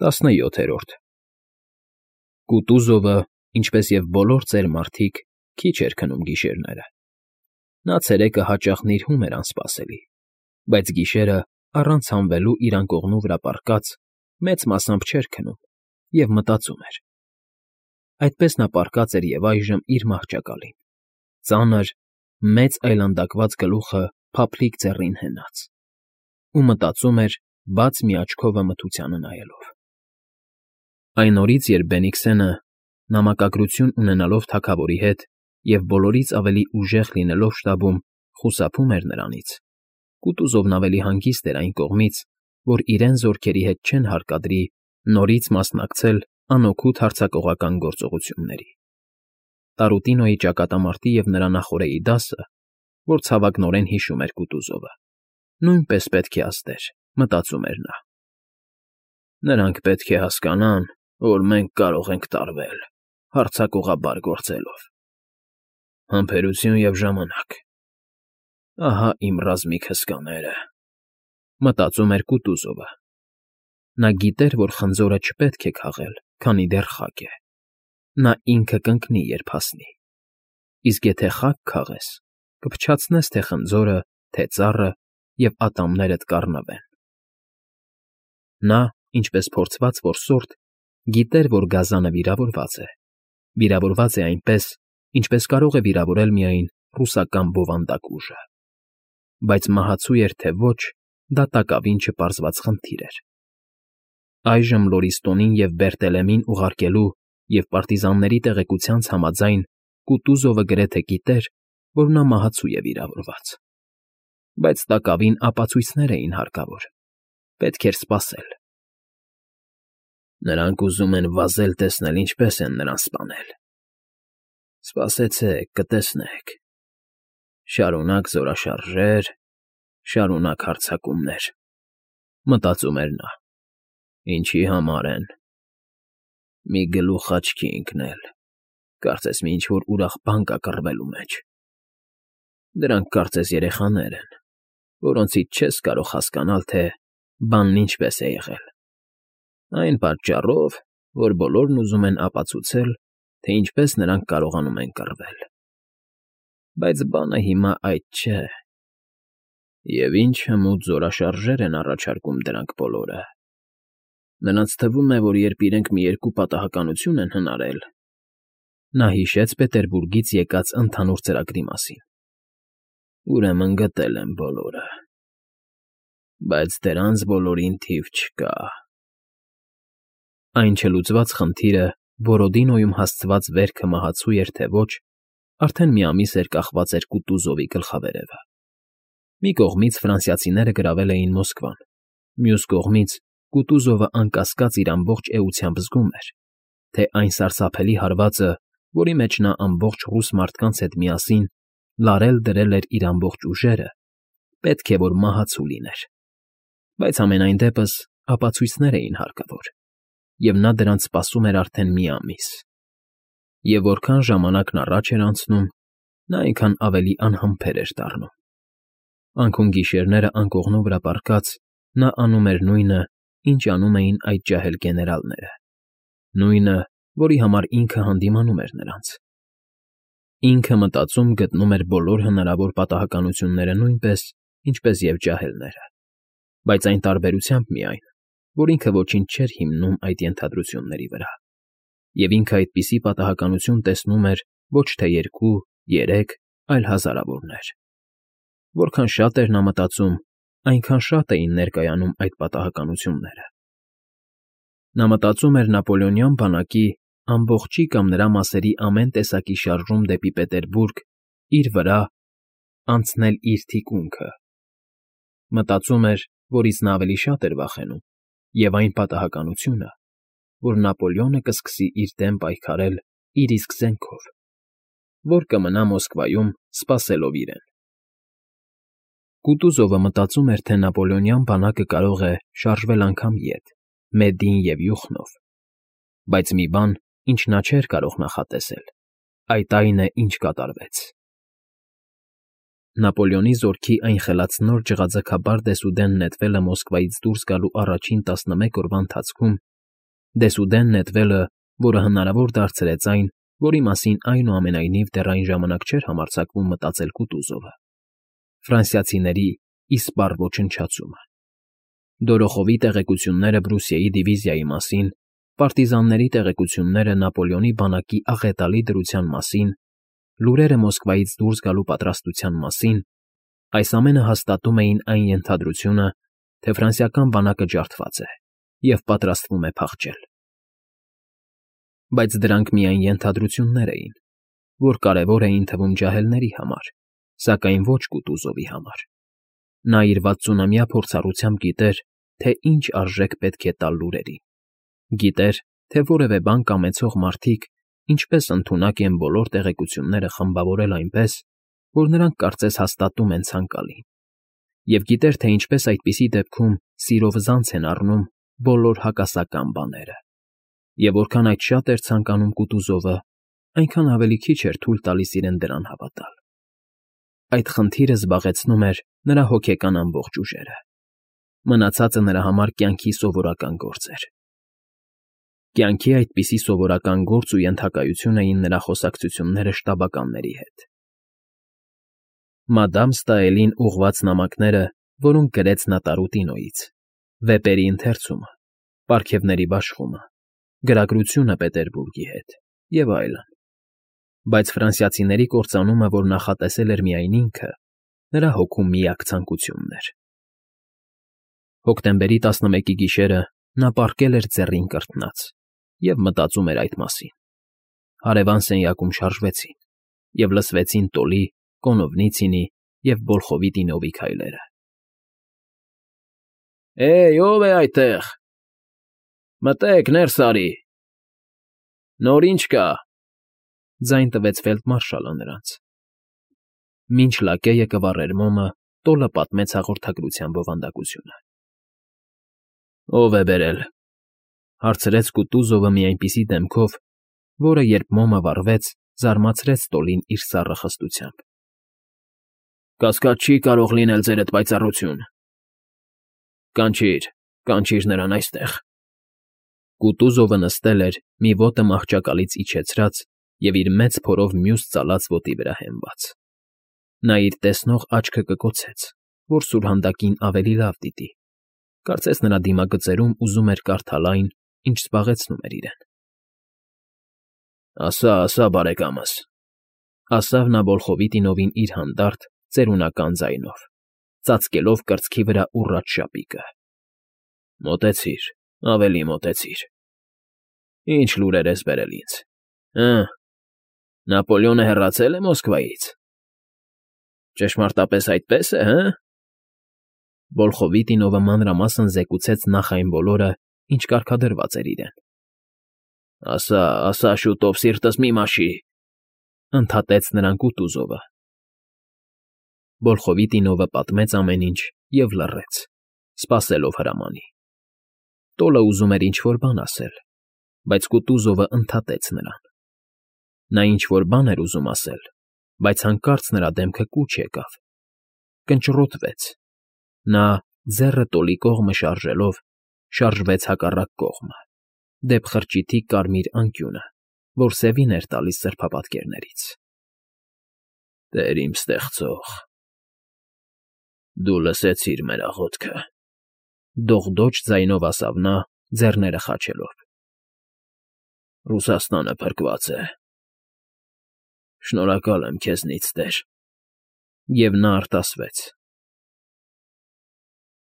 17 Կուտուզովը, ինչպես և բոլոր ծեր մարդիկ, քիչ էր քնում գիշերները. նա ցերեկը հաճախ նիրհում էր անսպասելի, բայց գիշերը, առանց հանվելու իր անկողնու վրա պառկած, մեծ մասամբ չէր քնում և մտածում էր. այդպես նա պառկած էր և այժմ իր մահճակալին, ծանր, մեծ այլանդակված գլուխը փափլիկ ձեռին հենած, ու մտածում էր, բաց մի աչքովը մթությանը նայելով։ Այն օրից, երբ Բենիքսենը, նամակագրություն ունենալով թագավորի հետ և բոլորից ավելի ուժեղ լինելով շտաբում, խուսափում էր նրանից, Կուտուզովն ավելի հանգիստ էր այն կողմից, որ իրեն զորքերի հետ չեն հարկադրի նորից մասնակցել անօգուտ հարձակողական գործողությունների։ Տարուտինոյի ճակատամարտի և նրա նախօրեի դասը, որ ցավակնորեն հիշում էր Կուտուզովը, նույնպես պետք է ազդեր, մտածում էր նա։ Նրանք պետք է հասկանան, որ մենք կարող ենք տարվել, հարձակողաբար գործելով։ Համբերություն և ժամանակ… Ահա իմ ռազմիկ հսկաները, մտածում էր Կուտուզովը։ Նա գիտեր, որ խնձորը չպետք է քաղել, քանի դեռ խաք է։ Նա ինքը կընկնի, երբ հասնի։ Իսկ եթե խաք քաղես, կփչացնես թե խնձորը, թե ծառը և ատամներդ կառնվեն։ Նա, ինչպես փորձված որսորդ, գիտեր, որ գազանը վիրավորված է այնպես, ինչպես կարող է վիրավորել միայն ռուսական բովանդակ ուժը։ Բայց մահացու էր թե ոչ, դա տակավին չպարզված խնդիր էր։ Այժմ Լորիստոնին և Բերտելեմին ուղարկելու և պարտիզանների տեղեկությանց համաձայն Կուտուզովը գրեթե գիտեր, որ նա մահացու է վիրավորված։ Բայց տակավին ապացույցներ էին հարկավոր, պետք էր սպասել։ Նրանք ուզում են վազել տեսնել ինչպես են նրան սպանել։ Սպասեցեք, կտեսնեք… Շարունակ զորաշարժեր, շարունակ հարձակումներ, մտածում էր նա։ Ինչի համար են… Մի գլուխ աչքի ընկնել, կարծես մի ինչ֊որ ուրախ բան կա կռվելու մեջ։ Դրանք կարծես երեխաներ են, որոնցից չես կարող հասկանալ, թե բանն ինչպես է եղել, այն պատճառով, որ բոլորն ուզում են ապացուցել, թե ինչպես նրանք կարողանում են կռվել։ Բայց բանը հիմա այդ չէ։ Եվ ինչ հմուտ զորաշարժեր են առաջարկում դրանք բոլորը… Նրանց թվում է, որ երբ իրենք մի երկու պատահականություն են հնարել… Նա հիշեց Պետերբուրգից եկած ընդհանուր ծրագրի մասին. Ուրեմն գտել են բոլորը… Բայց դրանց բոլորին թիվ չկա… Այն չլուծված խնդիրը Բորոդինոյում հասցված վերքը մահացու էր թե ոչ, արդեն մի ամիս էր կախված էր Կուտուզովի գլխավերևը։ Մի կողմից ֆրանսիացիները գրավել էին Մոսկվան, մյուս կողմից Կուտուզովը անկասկած իր ամբողջ էությամբ զգում էր, թե այն սարսափելի հարվածը, որի մեջ նա ամբողջ ռուս մարդկանց հետ միասին լարել֊դրել էր իր ամբողջ ուժերը, պետք է որ մահացու լիներ։ Բայց համենայն դեպս ապացույցներ էին հարկավոր, և նա դրանց սպասում էր արդեն մի ամիս։ Եվ որքան ժամանակն առաջ էր անցնում, նա այնքան ավելի անհամբեր էր դառնում։ Անքուն-գիշերները անկողնու վրա պառկած՝ նա անում էր նույնը, ինչ անում էին այդ ջահել գեներալները, նույնը, որի համար ինքը հանդիմանում էր նրանց։ Ինքը մտածում գտնում էր բոլոր հնարավոր պատահականությունները նույնպես, ինչպես և ջահելները, բայց այն տարբերությամբ միայն, որ ինքը ոչինչ չէր հիմնում այդ ենթադրությունների վրա, և ինքը այդպիսի պատահականություն տեսնում էր ոչ թե երկու, երեք, այլ հազարավորներ։ Որքան շատ էր նա մտածում, այնքան շատ էին ներկայանում այդ պատահականությունները։ Նա մտածում էր Նապոլեոնյան բանակի ամբողջի կամ նրա մասերի ամեն տեսակի շարժում դեպի Պետերբուրգ իր վրա անցնել իր թիկունքը։ Մտածում էր, որից նա ավելի շատ էր վախենում, և այն պատահականությունը, որ Նապոլեոնը կսկսի իր դեմ պայքարել իր իսկ զենքով, որ կմնա Մոսկվայում սպասելով իրեն։ Կուտուզովը մտածում էր, թե Նապոլեոնյան բանակը կարող է շարժվել անգամ ետ, Մեդին և Յուխնով, բայց մի բան, ինչ նա չէր կարող նախատեսել, այդ այն է, ինչ կատարվեց։ Նապոլեոնի զորքի այն խելացնոր ջղաձգաբար դեսուդեն նետվելը Մոսկվայից դուրս գալու առաջին 11 օրվա ընթացքում Դեսուդեն նետվելը, որը հնարավոր դարձրեց այն, որի մասին այնուամենայնիվ դեռ այն ժամանակ չէր համարձակվում մտածել Կուտուզովը. ֆրանսիացիների իսպառ ոչնչացումը։ Դորոխովի տեղեկությունները Բրուսիայի դիվիզիայի մասին, պարտիզանների տեղեկությունները Նապոլեոնի բանակի աղետալի դրության մասին, լուրերը Մոսկվայից դուրս գալու պատրաստության մասին, այս ամենը հաստատում էին այն ենթադրությունը, թե ֆրանսիական բանակը ջարդված է և պատրաստվում է փախչել։ Բայց դրանք միայն ենթադրություններ էին, որ կարևոր էին թվում ջահելների համար, սակայն ոչ Կուտուզովի համար։ Նա իր 60-ամյա փորձառությամբ գիտեր, թե ինչ արժեք պետք է տալ լուրերին։ Գիտեր, թե որևէ բան կամեցող մարդիկ ինչպես ընդունակ են բոլոր տեղեկությունները խմբավորել այնպես, որ նրանք կարծես հաստատում են ցանկալին, և գիտեր, թե ինչպես այդպիսի դեպքում սիրով զանց են առնում բոլոր հակասական բաները, և որքան այդ շատ էր ցանկանում Կուտուզովը, այնքան ավելի քիչ էր թույլ տալիս իրեն դրան հավատալ։ Այդ խնդիրը զբաղեցնում էր նրա հոգեկան ամբողջ ուժերը։ Մնացածը նրա համար կյանքի սովորական գործ էր։ Կյանքի այդպիսի սովորական գործ ու ենթակայություն էին նրա խոսակցությունները շտաբականների հետ։ Մադամ Ստաելին ուղղված նամակները, որոնք գրեց նա Տարուտինոյից, վեպերի ընթերցումը, պարգևների բաշխումը, գրագրությունը Պետերբուրգի հետ և այլն։ Բայց ֆրանսիացիների կործանումը, որ նախատեսել էր միայն ինքը, նրա հոգու միակ ցանկությունն էր։ Հոկտեմբերի 11-ի գիշերը նա պառկել էր ձեռին կրտնած և մտածում էր այդ մասին։ Հարևան սենյակում շարժվեցին, և լսվեցին Տոլի, Կոնովնիցինի և Բոլխովիտինովի քայլերը։ Ո՞վ է այդտեղ։ Մտե՛ք, ներս արի։ Նոր ի՞նչ կա։ Ձայն տվեց ֆելդմարշալը նրանց։ Մինչ լակեյը կվառեր մոմը, Տոլը պատմեց հաղորդագրության բովանդակությունը։ Ո՞վ է բերել,֊ հարցրեց Կուտուզովը մի այնպիսի դեմքով, որը, երբ մոմը վառվեց, զարմացրեց Տոլին իր սառը խստությամբ։ Կասկած չի կարող լինել ձերդ պայծառություն։ Կանչիր նրան այստեղ։ Կուտուզովը նստել էր, մի ոտը մահճակալից իջեցրած և իր մեծ փորով մյուս ծալած ոտի վրա հենված։ Նա իր տեսնող աչքը կկոցեց, որ սուրհանդակին ավելի լավ դիտի, կարծես նրա դիմագծերում ուզում էր կարդալ այն, ինչ զբաղեցնում էր իրեն։ Ասա, բարեկամս,֊ ասավ նա Բոլխովիտինովին իր հանդարտ, ծերունական ձայնով, ծածկելով կրծքի վրա ուռած շապիկը։ Մոտեցիր, ավելի մոտեցիր։ Ինչ լուրեր ես բերել ինձ։ Նապոլեոնը հեռացել է Մոսկվայից։ Ճշմարտապես այդպես է, հը՞։ Բոլխովիտինովը մանրամասն զեկուցեց նախ այն բոլորը, ինչ կարգադրված էր իրեն։ Ասա, շուտով, սիրտս մի մաշի,֊ ընդհատեց նրան Կուտուզովը։ Բոլխովիտինովը պատմեց ամեն ինչ և լռեց, սպասելով հրամանի։ Տոլը ուզում էր ինչ֊որ բան ասել, բայց Կուտուզովը ընդհատեց նրան։ Նա ինչ֊որ բան էր ուզում ասել, բայց հանկարծ նրա դեմքը կուչ եկավ, կնճռոտվեց։ Նա, ձեռը Տոլի կողմը շարժելով, շարժվեց հակառակ կողմը, դեպ խրճիթի կարմիր անկյունը, որ սևին էր տալիս սրբապատկերներից։ Տեր իմ ստեղծող, դու լսեցիր մեր աղոթքը,֊ դողդոջ ձայնով ասավ նա, ձեռները խաչելով։ Ռուսաստանը փրկված է։ Շնորհակալ եմ քեզնից, տեր։ Եվ նա արտասվեց,